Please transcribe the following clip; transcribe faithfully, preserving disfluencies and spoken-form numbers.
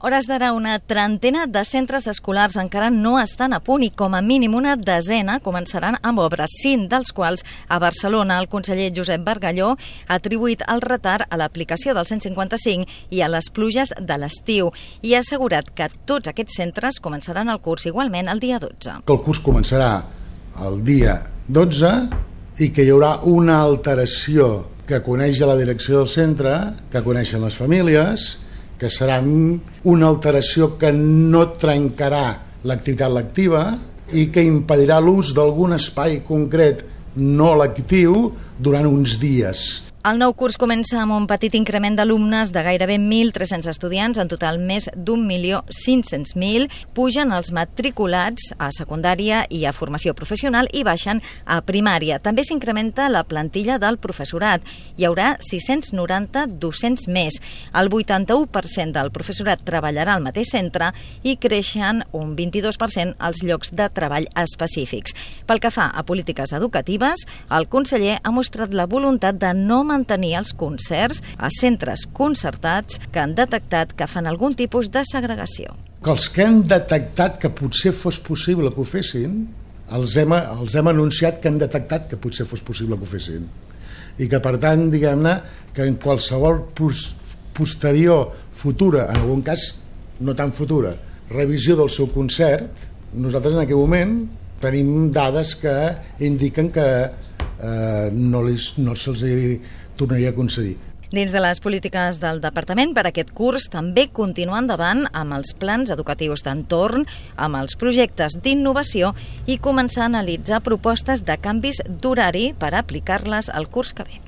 hores d'ara, una trentena de centres escolars encara no estan a punt i com a mínim una desena començaran amb obres, cinc dels quals a Barcelona. El conseller Josep Bargalló ha atribuït el retard a l'aplicació del cent cinquanta-cinc i a les pluges de l'estiu i ha assegurat que tots aquests centres començaran el curs igualment el dia dotze. Que el curs començarà el dia dotze i que hi haurà una alteració que coneix la direcció del centre, que coneixen les famílies, que serà una alteració que no trencarà l'activitat lectiva i que impedirà l'ús d'algun espai concret no lectiu durant uns dies. El nou curs comença amb un petit increment d'alumnes de gairebé mil tres-cents estudiants, en total més d'un milió cinc-cents mil. Pugen els matriculats a secundària i a formació professional i baixen a primària. També s'incrementa la plantilla del professorat. Hi haurà sis-cents noranta docents més. El vuitanta-u per cent del professorat treballarà al mateix centre i creixen un vint-i-dos per cent els llocs de treball específics. Pel que fa a polítiques educatives, el conseller ha mostrat la voluntat de no mantenir els concerts a centres concertats que han detectat que fan algun tipus de segregació. Que els que han detectat que potser fos possible que ho fessin, els hem, els hem anunciat que han detectat que potser fos possible que ho fessin. I que, per tant, diguem-ne, que en qualsevol posterior futura, en algun cas no tan futura, revisió del seu concert, nosaltres en aquell moment tenim dades que indiquen que eh, no, li, no se'ls tornaria a concedir. Dins de les polítiques del departament, per aquest curs també continua endavant amb els plans educatius d'entorn, amb els projectes d'innovació i començar a analitzar propostes de canvis d'horari per aplicar-les al curs que ve.